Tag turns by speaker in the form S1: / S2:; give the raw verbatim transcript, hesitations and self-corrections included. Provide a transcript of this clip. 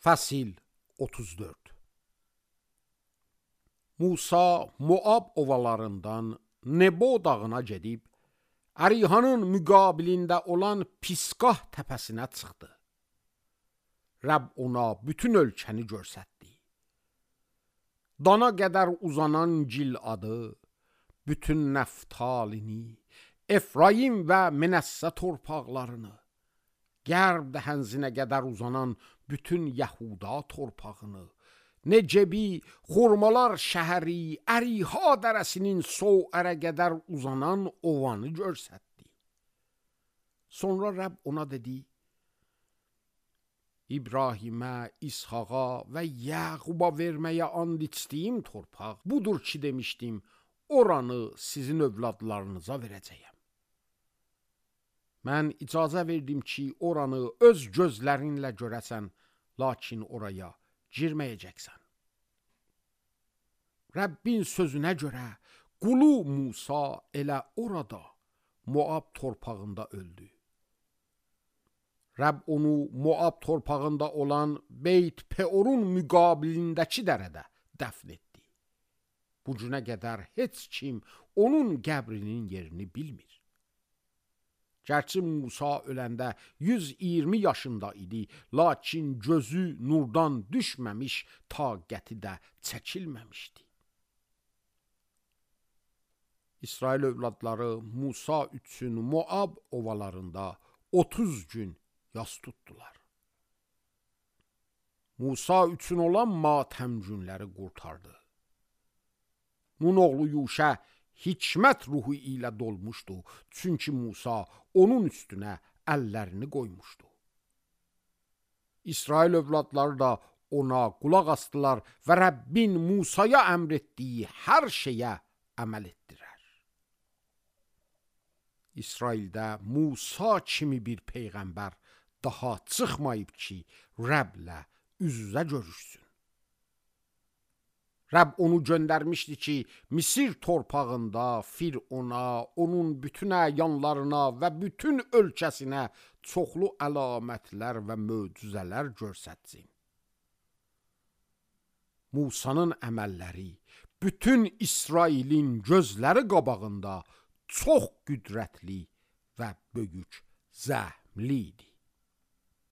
S1: Fəsil otuz dörd. Musa Moab ovalarından Nebo dağına gedib, Ərihanın müqabilində olan Pisqah təpəsinə çıxdı. Rəbb ona bütün ölkəni görsətdi. Dana qədər uzanan Giladı, bütün Nəftalini, Efraim və Menəssə torpaqlarını, Qərb dəhənzinə qədər uzanan bütün Yəhuda torpağını, Necebi, xurmalar şəhəri, Əriha dərəsinin Soərə qədər uzanan ovanı görsətdi. Sonra Rəbb ona dedi, İbrahimə, İshaqa və Yəquba verməyə and içdiyim torpaq budur ki demişdim, oranı sizin övladlarınıza verəcəyəm. Mən icazə verdim ki, oranı öz gözlərinlə görəsən, lakin oraya girməyəcəksən. Rəbbin sözünə görə, qulu Musa elə orada, Moab torpağında öldü. Rəbb onu Moab torpağında olan Beyt Peorun müqabilindəki dərədə dəfn etdi. Bu günə qədər heç kim onun qəbrinin yerini bilmir. Gərçi Musa öləndə yüz iyirmi yaşında idi, lakin gözü nurdan düşməmiş, taqəti də çəkilməmişdi. İsrail övladları Musa üçün Moab ovalarında otuz gün yas tutdular. Musa üçün olan matəm günləri qurtardı. Nun oğlu Yuşə hikmət ruhu ilə dolmuşdu, çünki Musa onun üstünə əllərini qoymuşdu. İsrail övladları da ona qulaq asdılar və Rəbbin Musaya əmr etdiyi hər şeyə əməl etdilər. İsraildə Musa kimi bir peyğəmbər daha çıxmayıb ki, Rəbblə üz-üzə görüşsün. Rəbb onu göndərmişdi ki, Misir torpağında Firona, onun bütün əyanlarına və bütün ölkəsinə çoxlu əlamətlər və möcüzələr görsətsin. Musanın əməlləri bütün İsrailin gözləri qabağında çox qüdrətli və böyük zəhmli idi.